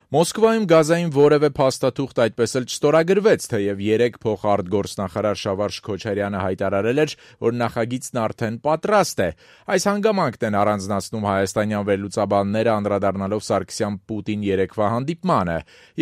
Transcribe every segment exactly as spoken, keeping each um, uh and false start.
Մոսկվայում գազային որևէ փաստաթուղթ այդպես էլ չստորագրվեց, թեև երեկ փոխարտգործնախարար Շավարշ Քոչարյանը հայտարարել էր, որ նախագիծն արդեն պատրաստ է։ Այս հանգամանքն են առանձնացնում հայաստանյան վերլուծաբանները, անդրադառնալով Սարգսյան-Պուտին երեկվա հանդիպմանը։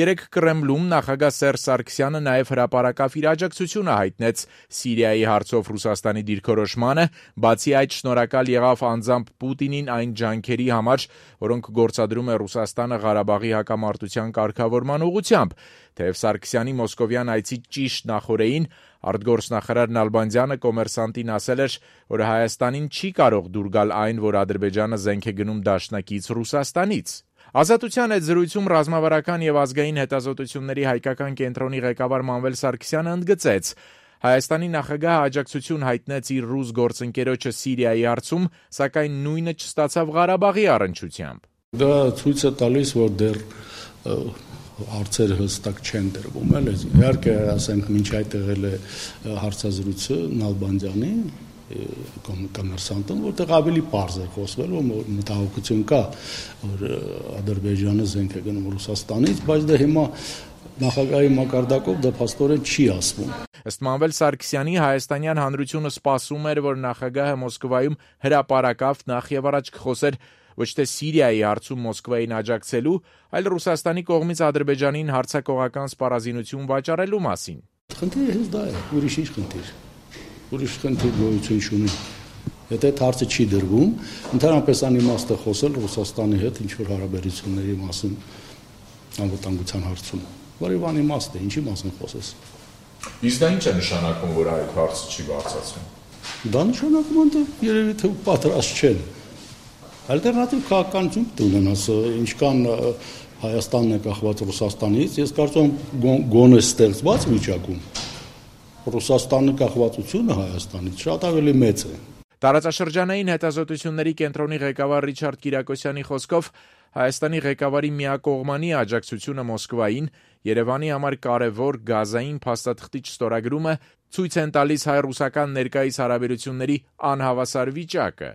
Երեկ Կրեմլում նախագահ Սերժ Սարգսյանը նաև հրապարակավ իր աջակցությունը հայտնեց Սիրիայի հարցով Ռուսաստանի դիրքորոշմանը, բացի այդ շնորհակալ եղավ անձամբ Պուտինին այն ջանքերի համար, որոնք գործադրում է Ռուսաստանը Ղարաբաղի հակամարտության կարգավորման ուղղությամբ, թեև Սարգսյանի մոսկովյան այցի ճիշտ նախօրեին արտգործնախարար Նալբանդյանը Կոմերսանտին ասել էր, որ Հայաստանին չի կարող դուր գալ այն, որ Ադրբեջանը զենք է գնում դաշնակից Ռուսաստանից։ Ազատության այդ զրույցում ռազմավարական եւ ազգային հետազոտությունների հայկական կենտրոնի ղեկավար Մանվել Սարգսյանը ընդգծեց. Հայաստանի նախագահը աջակցություն հայտնեց իր ռուս գործընկերոջը Սիրիայի հարցում, սակայն նույնը չստացավ Ղարաբաղի առնչությամբ։ Դա ցույց է տալիս, որ դեռ հարցերը հստակ չեն դրվում, էլ իհարկե ասենք մինչ այդ եղել է հարցազրույցը Նալբանդյանի Կոմերսանտում, որտեղ ավելի պարզ է խոսվել, որ մտահոգություն կա, որ Ադրբեջանը զենք է գնում Ռուսաստանից, բայց դա հիմա նախագահի մակարդակով դա փաստորեն չի ասվում։ Ըստ Մանվել Սարգսյանի, հայաստանյան հանրությունը սպասում էր, որ նախագահը Մոսկվայում հրապարակավ նախ եւ առաջ կխոսեր ոչ թե Սիրիայի հարցում Մոսկվային աջակցելու, այլ Ռուսաստանի կողմից Ադրբեջանին հարձակողական սպառազինություն վաճառելու մասին։ Խնդիրը հենց դա է, ուրիշ ինչ խնդիր։ Ուրիշ խնդիր գոյություն չունի։ Եթե այդ հարցը չի դրվում, ընդհանրապես անիմաստ է խոսել Ռուսաստանի հետ ինչ որ հարաբերությունների մասին անվտանգության հարցում։ Որի անիմաստ է, ինչի մասին խոսես։ Իսկ դա ինչ է նշանակում, որ այդ հարցը չի բարձրացվում։ Դա նշանակում է, որ երևի թե պատրաստ չեն։ Ալտերնատիվ քաղաքականություն ունենաս, ինչքան Հայաստանն է կախված Ռուսաստանից, ես կարծում եմ գոնե ստեղծված վիճակում Ռուսաստանի կախվածությունը Հայաստանից շատ ավելի մեծ է։ Տարածաշրջանային հետազոտությունների կենտրոնի ղեկավար Ռիչարդ Կիրակոսյանի խոսքով Հայաստանի ղեկավարի միակողմանի աջակցությունը Մոսկվային Երևանի համար կարևոր գազային փաստաթղթի չստորագրումը ցույց են տալիս հայ-ռուսական ներկայիս հարաբերությունների անհավասար վիճակը։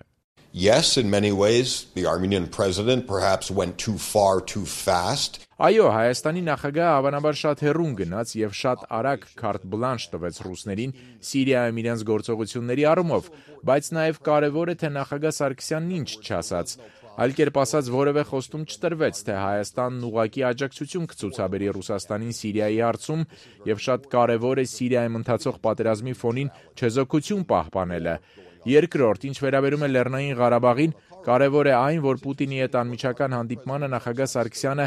Yes, in many ways, the Armenian president perhaps went too far too fast. Այո, Հայաստանի նախագահը հավանաբար շատ հեռուն գնաց եւ շատ արագ քարտ բլանշ տվեց ռուսներին Սիրիայում իրենց գործողությունների առումով, բայց նաեւ կարեւոր է, թե նախագահ Սարգսյանն ինչ չասաց։ Այլ կերպ ասած, որևէ խոստում չտրվեց, թե Հայաստանն ուղղակի աջակցություն կցուցաբերի Ռուսաստանին Սիրիայի հարցում եւ շատ կարեւոր է Սիրիայում ընթացող պատերազմի ֆոնին չեզոքություն պահպանելը։ Երկրորդ, ինչ վերաբերում է Լեռնային Ղարաբաղին, կարևոր է այն, որ Պուտինի հետ անմիջական հանդիպմանը նախագահ Սարգսյանը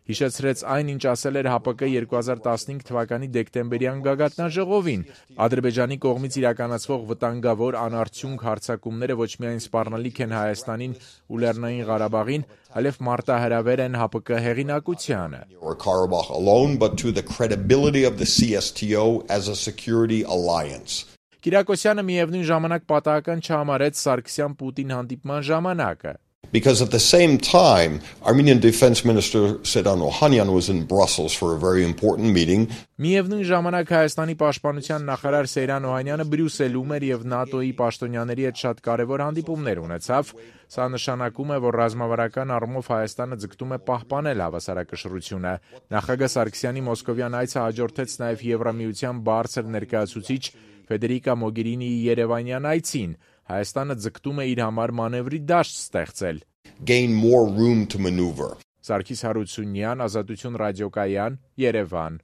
հիշեցրեց այն, ինչ ասել էր ՀԱՊԿ երկու հազար տասնհինգ թվականի դեկտեմբերյան գագաթնաժողովին։ Ադրբեջանի կողմից իրականացվող վտանգավոր անարդյունք հարձակումները ոչ միայն սպառնալիք են Հայաստանին ու Լեռնային Ղարաբաղին, այլև մարտահրավեր են ՀԱՊԿ հեղինակությանը։ Karabakh alone, but to the credibility of the C S T O as a security alliance. Կիրակոսյանը միևնույն ժամանակ պատահական չհամարեց Սարգսյան-Պուտին հանդիպման ժամանակը։ Because at the same time, Armenian Defense Minister Sedan Ohanyan was in Brussels for a very important meeting. Միևնույն ժամանակ Հայաստանի պաշտպանության նախարար Սեյրան Օհանյանը Բրյուսելում էր եւ ՆԱՏՕ-ի պաշտոնյաների հետ շատ կարեւոր հանդիպումներ ունեցավ։ Սա նշանակում է, որ ռազմավարական առումով Հայաստանը ձգտում է պահպանել հավասարակշռությունը։ Նախագահ Սարգսյանի մոսկովյան այցը հաջորդեց նաեւ Եվրամիության բարձր ներկայացուցիչ Ֆեդերիկա Մոգերինիի Երևանյան այցին։ Հայաստանը ձգտում է իր համար մանևրի դաշտ ստեղծել։ Gain more room to maneuver. Սարգիս Հարությունյան, Ազատություն ռադիոկայան, Երևան։